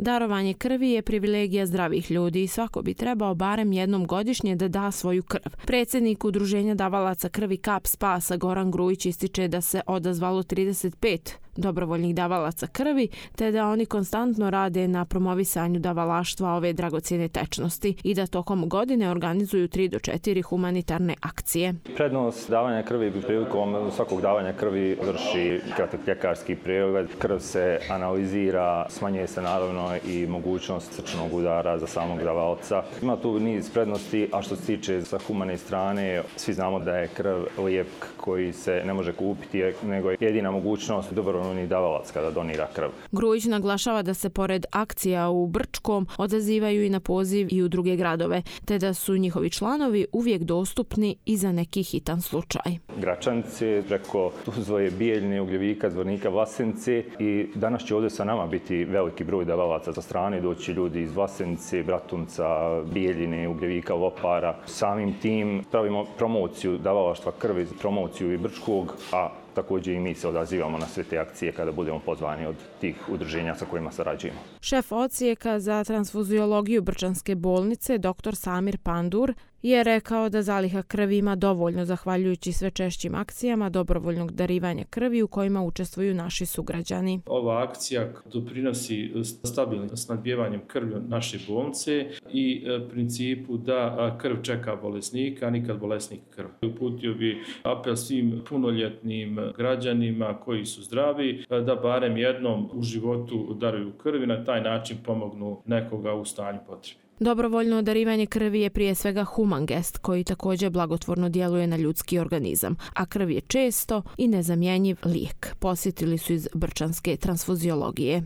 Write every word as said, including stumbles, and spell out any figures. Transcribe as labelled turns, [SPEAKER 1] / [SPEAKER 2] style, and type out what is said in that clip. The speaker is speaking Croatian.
[SPEAKER 1] Darovanje krvi je privilegija zdravih ljudi i svako bi trebao barem jednom godišnje da da svoju krv. Predsjednik Udruženja davalaca krvi Kap Spasa Goran Grujić ističe da se odazvalo trideset pet dobrovoljnih davalaca krvi, te da oni konstantno rade na promovisanju davalaštva ove dragocjene tečnosti i da tokom godine organizuju tri do četiri humanitarne akcije.
[SPEAKER 2] Prednost davanja krvi prilikom svakog davanja krvi vrši kratak ljekarski pregled. Krv se analizira, smanjuje se naravno i mogućnost srčnog udara za samog davalca. Ima tu niz prednosti, a što se tiče sa humane strane, svi znamo da je krv lijek koji se ne može kupiti, nego je jedina mogućnost dobrovoljnih davalac kada donira krv.
[SPEAKER 1] Grujić naglašava da se pored akcija u Brčkom odazivaju i na poziv i u druge gradove, te da su njihovi članovi uvijek dostupni i za neki hitan slučaj.
[SPEAKER 2] Gračanice, preko Tuzle, Bijeljine, Ugljevika, Zvornika, Vlasenice i danas će ovdje sa nama biti veliki broj davalaca sa strane, doći ljudi iz Vlasenice, Bratunca, Bijeljine, Ugljevika, Lopara. Samim tim pravimo promociju davalaštva krvi, promociju i Brčkog, a također i mi se odazivamo na sve te akcije kada budemo pozvani od tih udruženja sa kojima sarađujemo.
[SPEAKER 1] Šef odsjeka za transfuziologiju Brčanske bolnice, doktor Samir Pandur, je rekao da zaliha krvi ima dovoljno zahvaljujući sve češćim akcijama dobrovoljnog darivanja krvi u kojima učestvuju naši sugrađani.
[SPEAKER 3] Ova akcija doprinosi stabilnim snabdijevanjem krvi naše bolnice i principu da krv čeka bolesnika, a nikad bolesnik krv. Uputio bi apel svim punoljetnim građanima koji su zdravi da barem jednom u životu daruju krvi, na taj način pomognu nekoga u stanju potrebe.
[SPEAKER 1] Dobrovoljno darivanje krvi je prije svega human gest koji također blagotvorno djeluje na ljudski organizam, a krv je često i nezamjenjiv lijek, posjetili su iz Brčanske transfuziologije.